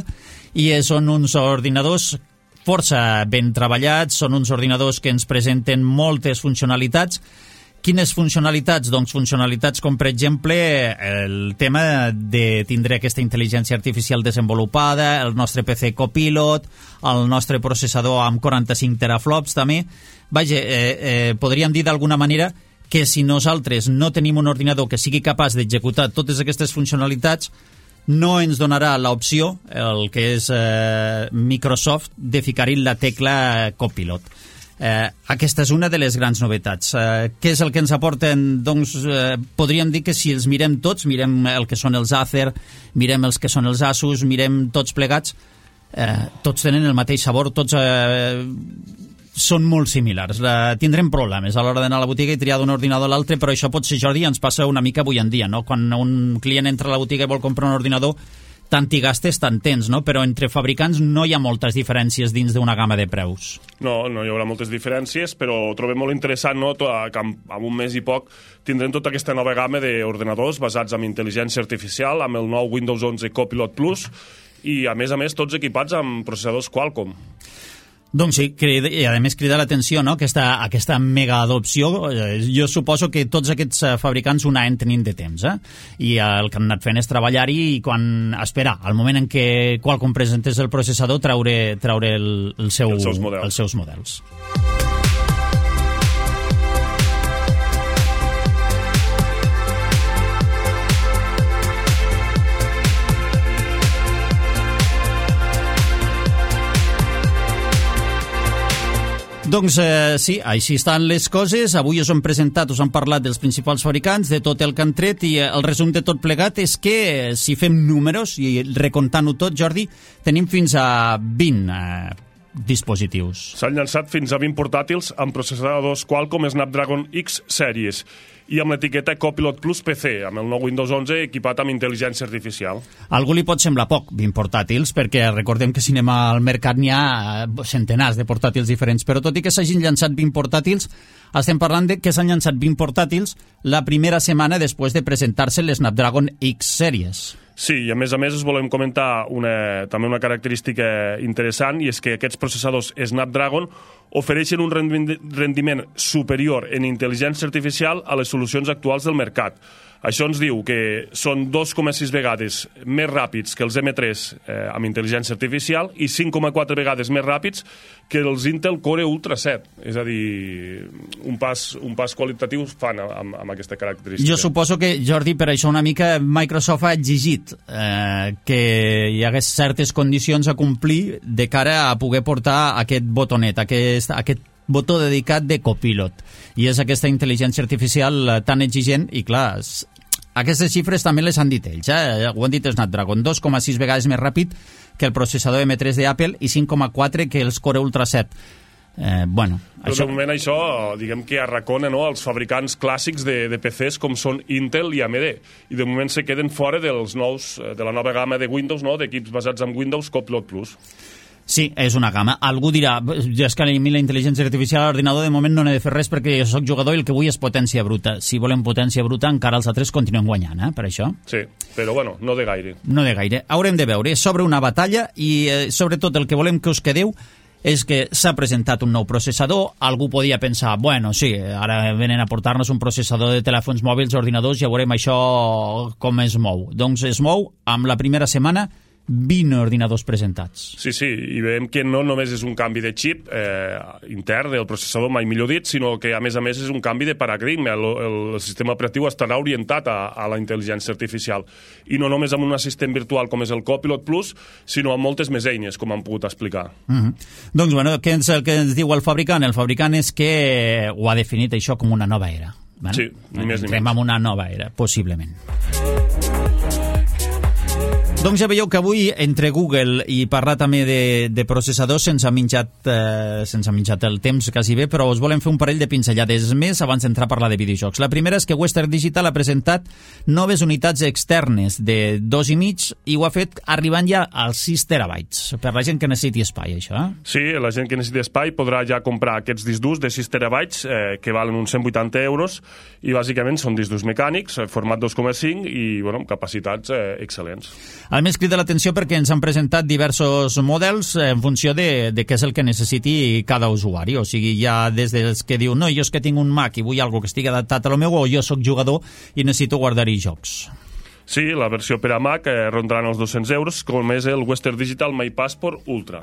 i són uns ordinadors força ben treballats, són uns ordinadors que ens presenten moltes funcionalitats. Quines funcionalitats? Doncs funcionalitats com, per exemple, el tema de tindre aquesta intel·ligència artificial desenvolupada, el nostre PC Copilot, el nostre processador amb 45 teraflops també. Vaja, podríem dir d'alguna manera que si nosaltres no tenim un ordinador que sigui capaç d'executar totes aquestes funcionalitats, no ens donarà l'opció, el que és Microsoft, de ficar-hi la tecla Copilot. Aquesta és una de les grans novetats. Què és el que ens aporten? Doncs podríem dir que si els mirem tots, mirem el que són els Acer, mirem els que són els Asus, mirem tots plegats, tots tenen el mateix sabor, tots són molt similars. Tindrem problemes a l'hora d'anar a la botiga i triar d'un ordinador a l'altre, però això potser, Jordi, ens passa una mica avui en dia, no? Quan un client entra a la botiga i vol comprar un ordinador, tant hi gastes, tant tens, no? Però entre fabricants no hi ha moltes diferències dins d'una gamma de preus. No hi haurà moltes diferències, però ho trobem molt interessant, no?, que en un mes i poc tindrem tota aquesta nova gamma d'ordinadors basats en intel·ligència artificial, amb el nou Windows 11 Copilot Plus, i a més tots equipats amb processadors Qualcomm. Doncs sí, i a més crida l'atenció, no?, aquesta mega adopció. Jo suposo que tots aquests fabricants ho anaven tenint de temps, i el que han anat fent és treballar-hi i esperar, al moment en què Qualcomm presentés el processador, treure els seus models. Doncs sí, així estan les coses. Avui us hem presentat, us hem parlat dels principals fabricants, de tot el que han tret, i el resum de tot plegat és que si fem números i recomptant-ho tot, Jordi, tenim fins a 20 dispositius. S'han llançat fins a 20 portàtils amb processadors Qualcomm Snapdragon X Series i amb l'etiqueta Copilot Plus PC, amb el nou Windows 11 equipat amb intel·ligència artificial. A algú li pot semblar poc, 20 portàtils, perquè recordem que si anem al mercat n'hi ha centenars de portàtils diferents, però tot i que s'hagin llançat 20 portàtils, estem parlant de que s'han llançat 20 portàtils la primera setmana després de presentar-se l'Snapdragon X Series. Sí, i a més us volem comentar també una característica interessant, i és que aquests processadors Snapdragon ofereixen un rendiment superior en intel·ligència artificial a les solucions actuals del mercat. Això ens diu que són 2,6 vegades més ràpids que els M3 amb intel·ligència artificial i 5,4 vegades més ràpids que els Intel Core Ultra 7. És a dir, un pas qualitatiu fan amb aquesta característica. Jo suposo que, Jordi, per això una mica Microsoft ha exigit que hi hagués certes condicions a complir de cara a poder portar aquest botonet, aquest botó dedicat de Copilot. I és aquesta intel·ligència artificial tan exigent, i clar, aquestes xifres també les han dit ells, ho han dit Snapdragon, 2,6 vegades més ràpid que el processador M3 d'Apple i 5,4 que els Core Ultra 7. Però de moment això, diguem que arracona, no?, els fabricants clàssics de PCs com són Intel i AMD, i de moment se queden fora de la nova gamma de Windows, no?, d'equips basats en Windows Copilot Plus. Sí, és una gamma. Algú dirà, és que a mi la intel·ligència artificial a l'ordinador de moment no n'he de fer res perquè jo soc jugador i el que vull és potència bruta. Si volem potència bruta, encara els altres continuen guanyant, per això. Sí, però bueno, no de gaire. No de gaire. Haurem de veure. Sobre una batalla i sobretot el que volem que us quedeu és que s'ha presentat un nou processador. Algú podia pensar, bueno, sí, ara venen a portar-nos un processador de telèfons mòbils, ordinadors, ja veurem això com es mou. Doncs es mou amb la primera setmana 20 ordinadors presentats. Sí, i veiem que no només és un canvi de xip intern del processador, mai millor dit, sinó que a més és un canvi de paradigma. El sistema operatiu estarà orientat a la intel·ligència artificial, i no només amb un assistent virtual com és el Copilot Plus, sinó amb moltes més eines, com han pogut explicar. Doncs, bueno, què és el que ens diu el fabricant? El fabricant és que ho ha definit això com una nova era. Sí, ni més ni menys. Entrem en una nova era, possiblement. Doncs ja veieu que avui, entre Google i parlar també de processadors, se'ns ha menjat el temps quasi bé, però us volem fer un parell de pinzellades més abans d'entrar a parlar de videojocs. La primera és que Western Digital ha presentat noves unitats externes de 2,5 i ho ha fet arribant ja als 6 terabytes, per la gent que necessiti espai, això. Sí, la gent que necessiti espai podrà ja comprar aquests discs durs de 6 terabytes que valen uns 180 euros, i bàsicament són discs durs mecànics, format 2,5 i amb capacitats excel·lents. A més, crida l'atenció perquè ens han presentat diversos models en funció de què és el que necessiti cada usuari. O sigui, hi ha des dels que diu, no, jo és que tinc un Mac i vull algo que estigui adaptat a lo meu, o jo sóc jugador i necessito guardar-hi jocs. Sí, la versió per a Mac rondaran els 200 euros, com és el Western Digital My Passport Ultra.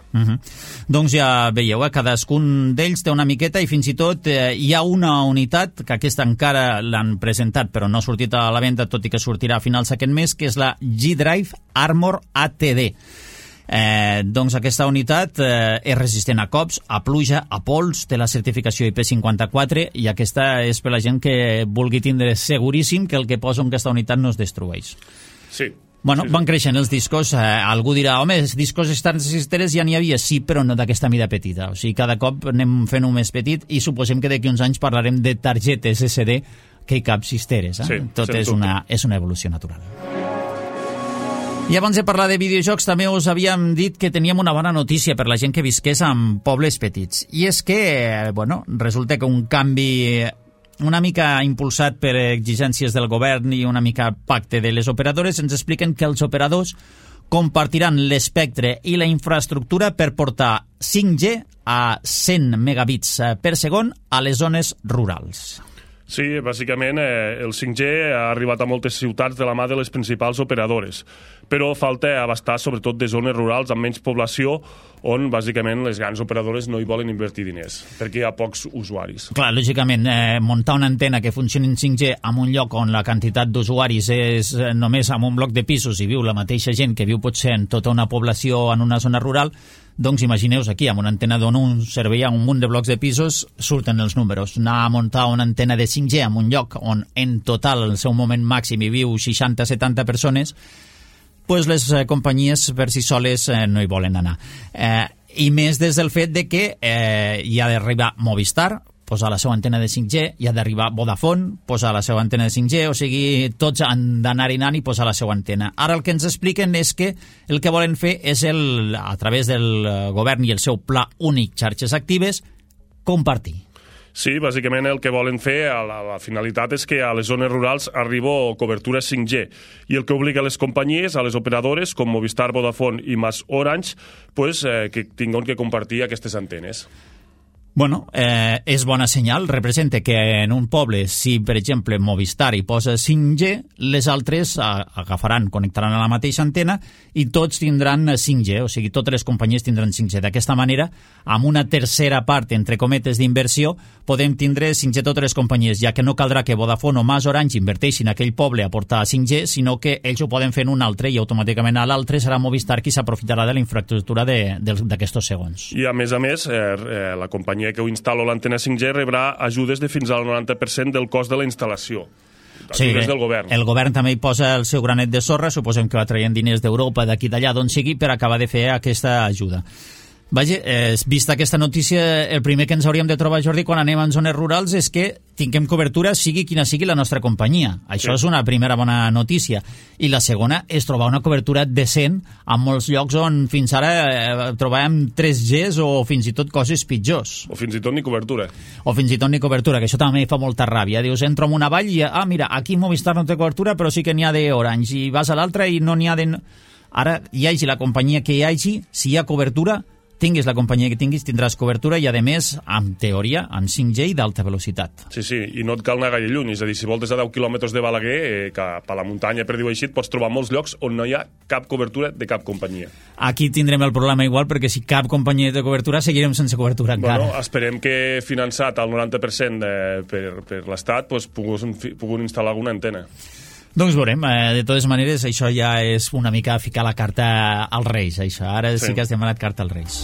Doncs ja veieu, cadascun d'ells té una miqueta i fins i tot hi ha una unitat, que aquesta encara l'han presentat però no ha sortit a la venda, tot i que sortirà a finals d'aquest mes, que és la G-Drive Armor ATD. Doncs aquesta unitat és resistent a cops, a pluja, a pols, té la certificació IP54 i aquesta és per la gent que vulgui tindre seguríssim que el que posa en aquesta unitat no es destrueix. Sí. Bueno, van creixent els discos, algú dirà, home, els discos externs ja n'hi havia, sí, però no d'aquesta mida petita, o sigui, cada cop anem fent-ho més petit i suposem que d'aquí uns anys parlarem de targetes SD que hi cap cisteres, Sí, tot és una evolució natural. I abans de parlar de videojocs també us havíem dit que teníem una bona notícia per la gent que visqués en pobles petits. I és que, bueno, resulta que un canvi una mica impulsat per exigències del govern i una mica pacte de les operadores ens expliquen que els operadors compartiran l'espectre i la infraestructura per portar 5G a 100 megabits per segon a les zones rurals. Sí, bàsicament el 5G ha arribat a moltes ciutats de la mà de les principals operadores, però falta abastar sobretot de zones rurals amb menys població on bàsicament les grans operadores no hi volen invertir diners, perquè hi ha pocs usuaris. Clar, lògicament, muntar una antena que funcioni en 5G en un lloc on la quantitat d'usuaris és només en un bloc de pisos i viu la mateixa gent que viu potser en tota una població en una zona rural, doncs imagineu-vos aquí, amb una antena d'on un servei a un munt de blocs de pisos, surten els números. Anar a muntar una antena de 5G en un lloc on en total el seu moment màxim hi viu 60-70 persones, pues les companyies per si soles no hi volen anar. I més des del fet de que hi ha d'arribar Movistar, posar la seva antena de 5G, hi ha d'arribar Vodafone, posar la seva antena de 5G, o sigui, tots han d'anar-hi anant i posar la seva antena. Ara el que ens expliquen és que el que volen fer és, a través del govern i el seu pla únic xarxes actives, compartir. Sí, bàsicament el que volen fer, la finalitat és que a les zones rurals arribi cobertura 5G i el que obliga a les companyies, a les operadores com Movistar, Vodafone i Mas Orange, pues, que tinguin que compartir aquestes antenes. Bueno, és bona senyal, representa que en un poble, si per exemple Movistar hi posa 5G, les altres agafaran, connectaran a la mateixa antena i tots tindran 5G, o sigui, totes les companyies tindran 5G. D'aquesta manera, amb una tercera part, entre cometes, d'inversió, podem tindre 5G totes les companyies, ja que no caldrà que Vodafone o Mas Orange inverteixin a aquell poble a portar 5G, sinó que ells ho poden fer en un altre i automàticament a l'altre serà Movistar qui s'aprofitarà de la infraestructura d'aquests segons. I a més, la companyia que ho instal·lo l'antena 5G rebrà ajudes de fins al 90% del cost de la instal·lació. Ajudes del govern. El govern també hi posa el seu granet de sorra, suposem que va traient diners d'Europa, d'aquí d'allà, d'on sigui, per acabar de fer aquesta ajuda. Vaja, vista aquesta notícia, el primer que ens hauríem de trobar, Jordi, quan anem en zones rurals és que tinguem cobertura sigui quina sigui la nostra companyia. Això és una primera bona notícia. I la segona és trobar una cobertura decent en molts llocs on fins ara trobàvem 3Gs o fins i tot coses pitjors. O fins i tot ni cobertura. O fins i tot ni cobertura, que això també fa molta ràbia. Dius, entro en una vall i, mira, aquí Movistar no té cobertura, però sí que n'hi ha d'Orange. I vas a l'altra i no n'hi ha de... Ara, hi hagi la companyia que hi hagi, si hi ha cobertura, tinguis la companyia que tinguis, tindràs cobertura i, a més, en teoria, en 5G i d'alta velocitat. Sí, i no et cal anar gaire lluny. És a dir, si voltes a 10 quilòmetres de Balaguer, cap a la muntanya, per dir-ho així, et pots trobar molts llocs on no hi ha cap cobertura de cap companyia. Aquí tindrem el problema igual, perquè si cap companyia té cobertura, seguirem sense cobertura encara. Bueno, esperem que, finançat al 90% per l'Estat, pues, puguin instal·lar alguna antena. Doncs veurem, de totes maneres això ja és una mica ficar la carta als Reis, això. Ara sí que has demanat carta als Reis.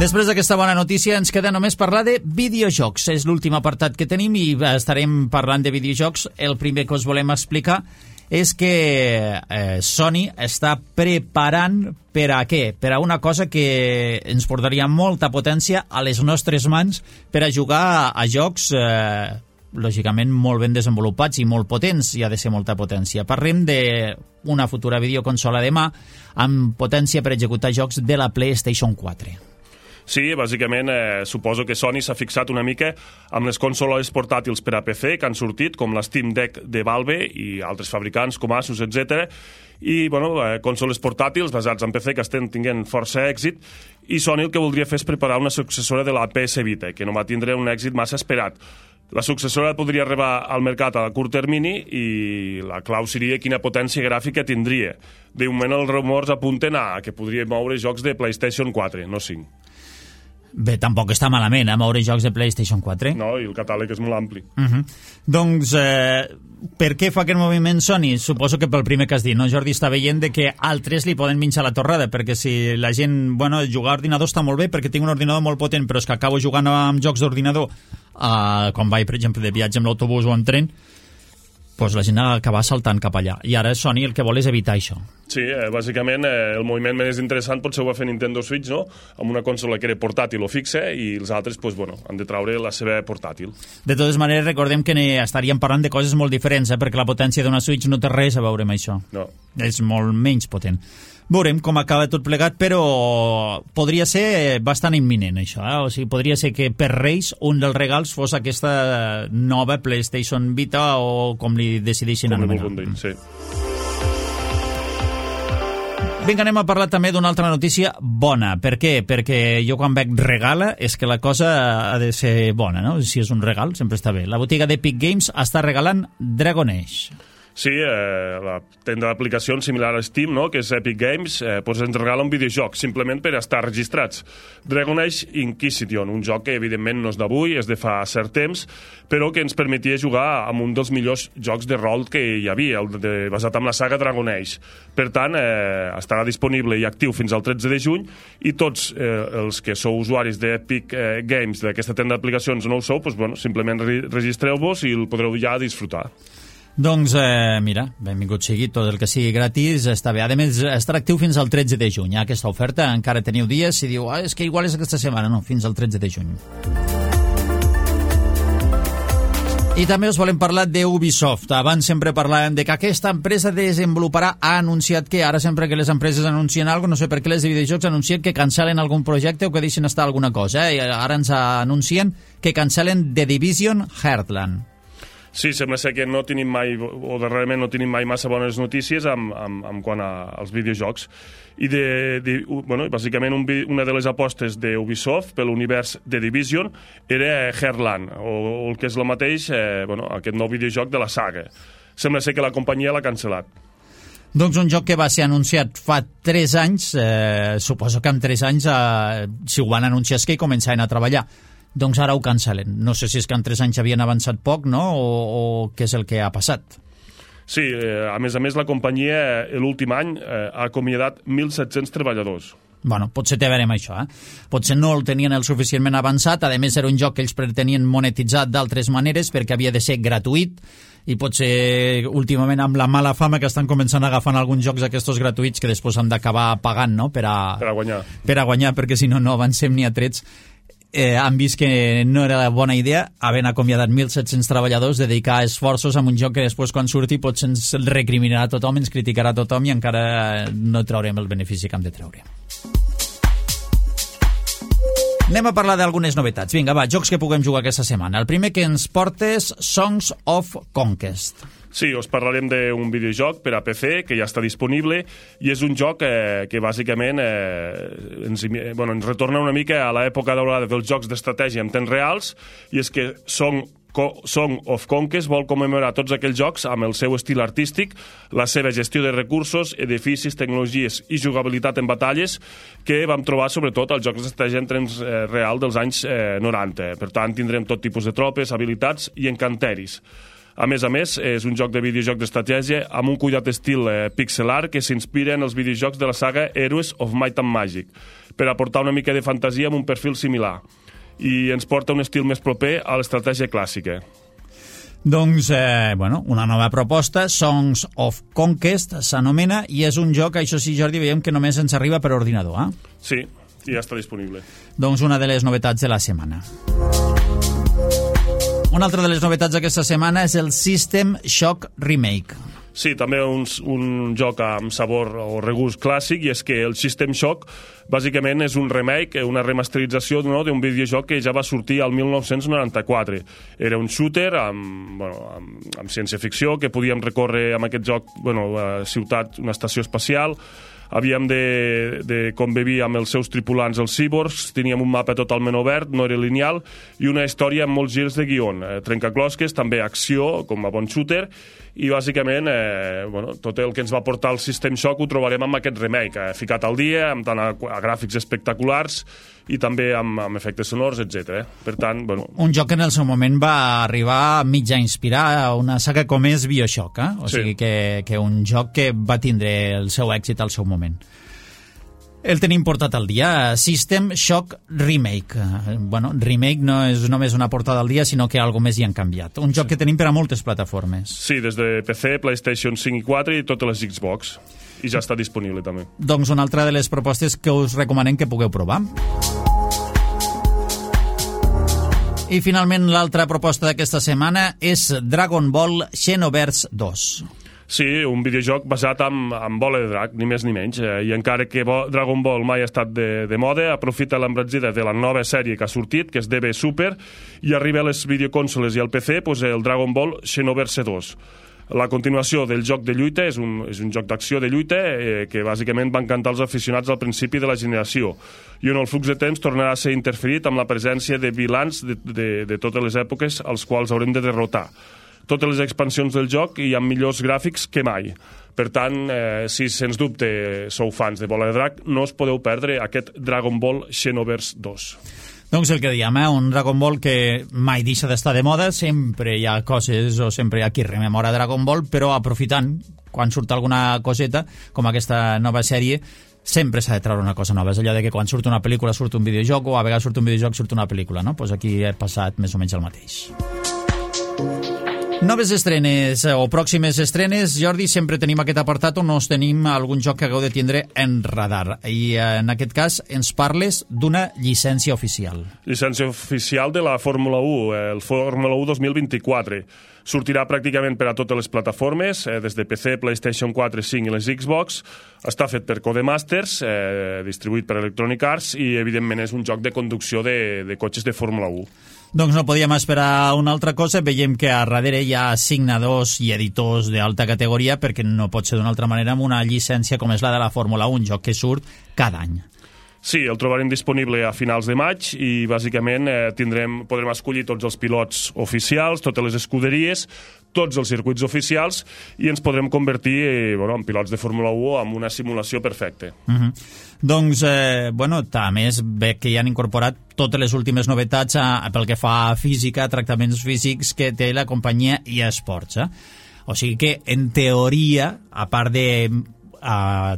Després d'aquesta bona notícia ens queda només parlar de videojocs. És l'últim apartat que tenim i estarem parlant de videojocs. El primer que us volem explicar és que Sony està preparant per a què? Per a una cosa que ens portaria molta potència a les nostres mans per a jugar a jocs lògicament molt ben desenvolupats i molt potents, i ha de ser molta potència. Parlem d'una futura videoconsola de mà amb potència per executar jocs de la PlayStation 4. Sí, bàsicament suposo que Sony s'ha fixat una mica amb les consoles portàtils per a PC que han sortit, com la Steam Deck de Valve i altres fabricants com Asus, etc. I, bueno, consoles portàtils basats en PC que estan tinguent força èxit, i Sony el que voldria fer és preparar una successora de la PS Vita, que no va tindre un èxit massa esperat. La successora podria arribar al mercat a curt termini i la clau seria quina potència gràfica tindria. De moment els rumors apunten a que podria moure jocs de PlayStation 4, no 5. Bé, tampoc està malament, moure jocs de PlayStation 4. No, i el catàleg és molt ampli. Doncs, per què fa aquest moviment Sony? Suposo que pel primer que has dit, no? Jordi està veient de que altres li poden minxar la torrada, perquè si la gent, bueno, jugar a ordinador està molt bé perquè tinc un ordinador molt potent, però és que acabo jugant amb jocs d'ordinador, quan vaig, per exemple, de viatge amb l'autobús o amb tren, doncs la gent acaba saltant cap allà. I ara Sony el que vol és evitar això. Sí, bàsicament el moviment més interessant potser ho va fer Nintendo Switch, no? Amb una consola que era portàtil o fixa i els altres pues, bueno, han de traure la seva portàtil. De totes maneres, recordem que estaríem parlant de coses molt diferents, perquè la potència d'una Switch no té res a veure amb això. No. És molt menys potent. Veurem com acaba tot plegat, però podria ser bastant imminent, això. O sigui, podria ser que per Reis un dels regals fos aquesta nova PlayStation Vita o com li decideixin anomenar. Sí. Vinga, anem a parlar també d'una altra notícia bona. Per què? Perquè jo quan veig regala és que la cosa ha de ser bona, no? Si és un regal, sempre està bé. La botiga d'Epic Games està regalant Dragon Age. Sí, la tenda d'aplicacions similar a Steam, no? Que és Epic Games, doncs ens regala un videojoc, simplement per estar registrats. Dragon Age Inquisition, un joc que evidentment no és d'avui, és de fa cert temps, però que ens permetia jugar amb un dels millors jocs de rol que hi havia, basat en la saga Dragon Age. Per tant, estarà disponible i actiu fins al 13 de juny i tots els que sou usuaris d'Epic Games, d'aquesta tenda d'aplicacions no ho sou, doncs, bueno, simplement registreu-vos i el podreu ja disfrutar. Doncs, mira, benvingut sigui, tot el que sigui gratis està bé. A més, estarà actiu fins al 13 de juny. Aquesta oferta encara teniu dies i diu, és que igual és aquesta setmana. No, fins al 13 de juny. I també us volem parlar d'Ubisoft. Abans sempre parlàvem de que aquesta empresa desenvoluparà, ha anunciat que ara sempre que les empreses anuncien alguna cosa, no sé per què les de videojocs anuncien que cancel·len algun projecte o que deixen estar alguna cosa. Ara ens anuncien que cancel·len The Division Heartland. Sí, sembla ser que no tenim mai, o darrerament no tenim mai massa bones notícies amb quant als videojocs. I bueno, bàsicament una de les apostes d'Ubisoft per l'univers de Division era Heartland, o el que és el mateix, bueno, aquest nou videojoc de la saga. Sembla ser que la companyia l'ha cancel·lat. Doncs un joc que va ser anunciat fa 3 anys, suposo que en 3 anys, si ho van anunciar és que hi començaven a treballar. Doncs ara ho cancel·len. No sé si és que en 3 anys havien avançat poc, no?, o què és el que ha passat. Sí, a més, la companyia l'últim any ha acomiadat 1.700 treballadors. Bueno, potser té a veure amb això, Potser no el tenien el suficientment avançat, a més era un joc que ells pretenien monetitzar d'altres maneres perquè havia de ser gratuït i potser últimament amb la mala fama que estan començant a agafar alguns jocs aquests gratuïts que després han d'acabar pagant, no?, per a guanyar. Per a guanyar, perquè si no, no avancem ni a trets. Han vist que no era bona idea, havent acomiadat 1.700 treballadors, dedicar esforços a un joc que després quan surti potser ens recriminarà a tothom, ens criticarà a tothom i encara no traurem el benefici que hem de treure. Anem a parlar d'algunes novetats. Vinga, va, jocs que puguem jugar aquesta setmana. El primer que ens portes, Songs of Conquest. Sí, us parlarem d'un videojoc per a PC que ja està disponible i és un joc que bàsicament ens retorna una mica a l'època daurada dels jocs d'estratègia en temps reals, i és que Song of Conquest vol commemorar tots aquells jocs amb el seu estil artístic, la seva gestió de recursos, edificis, tecnologies i jugabilitat en batalles que vam trobar sobretot als jocs d'estratègia en temps real dels anys 90. Per tant, tindrem tot tipus de tropes, habilitats i encanteris. A més, és un joc de videojoc d'estratègia amb un cuidat estil pixel art que s'inspira en els videojocs de la saga Heroes of Might and Magic, per aportar una mica de fantasia amb un perfil similar. I ens porta un estil més proper a l'estratègia clàssica. Doncs, una nova proposta, Songs of Conquest s'anomena, i és un joc, això sí, Jordi, veiem que només ens arriba per ordinador, Sí, i ja està disponible. Doncs una de les novetats de la setmana. Una altra de les novetats d'aquesta setmana és el System Shock Remake. Sí, també un joc amb sabor o regust clàssic, i és que el System Shock bàsicament és un remake, una remasterització d'un videojoc que ja va sortir al 1994. Era un shooter amb ciència-ficció, que podíem recórrer amb aquest joc, ciutat, una estació espacial, havíem de convivir amb els seus tripulants, els cyborgs, teníem un mapa totalment obert, no era lineal, i una història amb molts girs de guion, trencaclosques, també acció, com a bon shooter, i bàsicament tot el que ens va portar el System Shock ho trobarem amb aquest remake, ficat al dia, amb tant a gràfics espectaculars i també amb efectes sonors, etc. Per tant, un joc que en el seu moment va arribar mig a inspirar una saga com és Bioshock, o sigui que un joc que va tindre el seu èxit al seu moment. El tenim portat al dia, System Shock Remake. Remake no és només una portada al dia, sinó que alguna més hi han canviat. Un joc que tenim per a moltes plataformes. Sí, des de PC, PlayStation 5 i 4 i totes les Xbox. I ja està disponible també. Doncs una altra de les propostes que us recomanem que pugueu provar. I finalment l'altra proposta d'aquesta setmana és Dragon Ball Xenoverse 2. Sí, un videojoc basat en bola de drac, ni més ni menys. I encara que Dragon Ball mai ha estat de moda, aprofita l'embranzida de la nova sèrie que ha sortit, que és DB Super, i arriba a les videoconsoles i al PC el Dragon Ball Xenoverse 2. La continuació del joc de lluita és un joc d'acció de lluita que bàsicament va encantar els aficionats al principi de la generació i on el flux de temps tornarà a ser interferit amb la presència de vilans de totes les èpoques als quals haurem de derrotar. Totes les expansions del joc i amb millors gràfics que mai. Per tant, si sens dubte sou fans de Bola de Drac, no us podeu perdre aquest Dragon Ball Xenoverse 2. Doncs el que diem, un Dragon Ball que mai deixa d'estar de moda, sempre hi ha coses o sempre hi ha qui rememora Dragon Ball, però aprofitant, quan surt alguna coseta, com aquesta nova sèrie, sempre s'ha de treure una cosa nova. És allò de que quan surt una pel·lícula surt un videojoc, o a vegades surt un videojoc surt una pel·lícula, no? Pues aquí ha passat més o menys el mateix. Noves estrenes o pròximes estrenes, Jordi, sempre tenim aquest apartat on us tenim algun joc que hagueu de tindre en radar. I en aquest cas ens parles d'una llicència oficial. Llicència oficial de la Fórmula 1, el Fórmula 1 2024. Sortirà pràcticament per a totes les plataformes, des de PC, PlayStation 4, 5 i les Xbox. Està fet per Codemasters, distribuït per Electronic Arts, i evidentment és un joc de conducció de cotxes de Fórmula 1. Doncs no podíem esperar una altra cosa. Veiem que a darrere hi ha assignadors i editors d'alta categoria, perquè no pot ser d'una altra manera amb una llicència com és la de la Fórmula 1, un joc que surt cada any. Sí, el trobarem disponible a finals de maig i bàsicament podrem escollir tots els pilots oficials, totes les escuderies, tots els circuits oficials i ens podrem convertir en pilots de Fórmula 1 amb una simulació perfecta. Doncs, també es ve que hi han incorporat totes les últimes novetats pel que fa a física, tractaments físics que té la companyia eSports. O sigui que, en teoria, a part de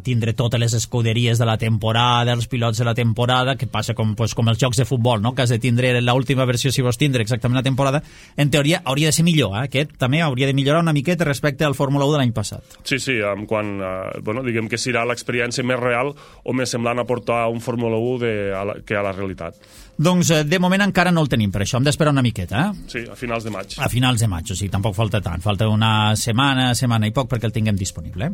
tindre totes les escuderies de la temporada, els pilots de la temporada, que passa com els jocs de futbol, no? Que has de tindre l'última versió si vols tindre exactament la temporada, en teoria hauria de ser millor, Aquest també hauria de millorar una miqueta respecte al Fórmula 1 de l'any passat. Sí, diguem que serà l'experiència més real o més semblant a portar un Fórmula 1 que a la realitat. Doncs de moment encara no el tenim, per això hem d'esperar una miqueta. Sí, a finals de maig. A finals de maig, o sigui, tampoc falta tant, falta una setmana i poc perquè el tinguem disponible.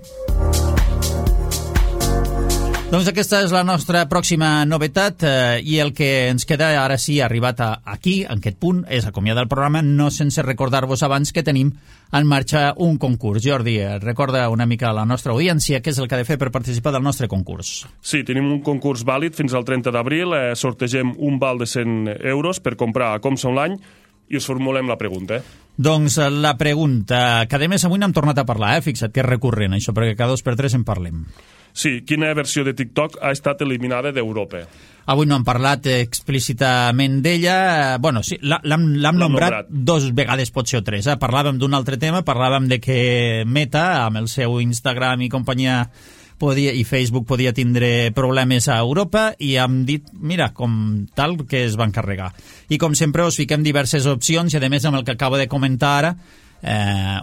Doncs aquesta és la nostra pròxima novetat i el que ens queda ara sí arribat aquí, en aquest punt, és acomiadar el programa, no sense recordar-vos abans que tenim en marxa un concurs. Jordi, recorda una mica a la nostra audiència què és el que ha de fer per participar del nostre concurs. Sí, tenim un concurs vàlid fins al 30 d'abril, sortegem un val de 100 euros per comprar a Comsa Online i us formulem la pregunta. Doncs la pregunta, que a més avui n'hem tornat a parlar, fixa't que és recurrent això, perquè cada 2 per 3 en parlem. Sí, quina versió de TikTok ha estat eliminada d'Europa? Avui no hem parlat explícitament d'ella. Sí, l'hem nombrat 2 vegades, potser o 3. Parlàvem d'un altre tema, parlàvem de que Meta, amb el seu Instagram i companyia, i Facebook podia tindre problemes a Europa i hem dit, mira, com tal que es van carregar. I com sempre us fiquem diverses opcions i a més amb el que acabo de comentar ara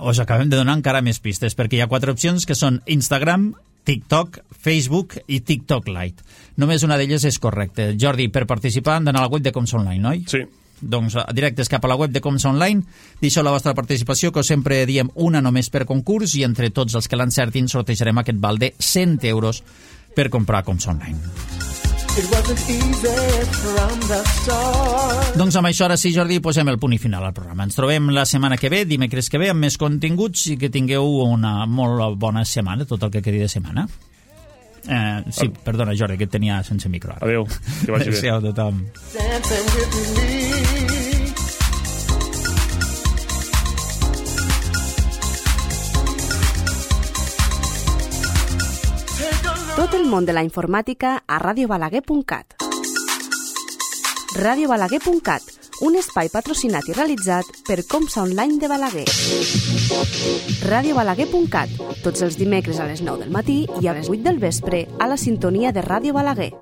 us acabem de donar encara més pistes, perquè hi ha 4 opcions que són Instagram, TikTok, Facebook i TikTok Lite. Només una d'elles és correcta. Jordi, per participar han d'anar a la web de Comsa Online, oi? Sí. Doncs directes cap a la web de Comsa Online, deixeu la vostra participació, que sempre diem una només per concurs, i entre tots els que l'encertin sortejarem aquest val de 100 euros per comprar Comsa Online. Doncs amb això ara sí, Jordi, posem el punt i final al programa. Ens trobem la setmana que ve, dimecres que ve, amb més continguts i que tingueu una molt bona setmana, tot el que quedi de setmana. Sí, perdona, Jordi, que et tenia sense micro. Adéu, que vagi bé. Adéu, tothom. Dancing with me. Tot el món de la informàtica a radiobalaguer.cat. Radiobalaguer.cat, un espai patrocinat i realitzat per Comsa Online de Balaguer. Radiobalaguer.cat, tots els dimecres a les 9 del matí i a les 8 del vespre a la sintonia de Ràdio Balaguer.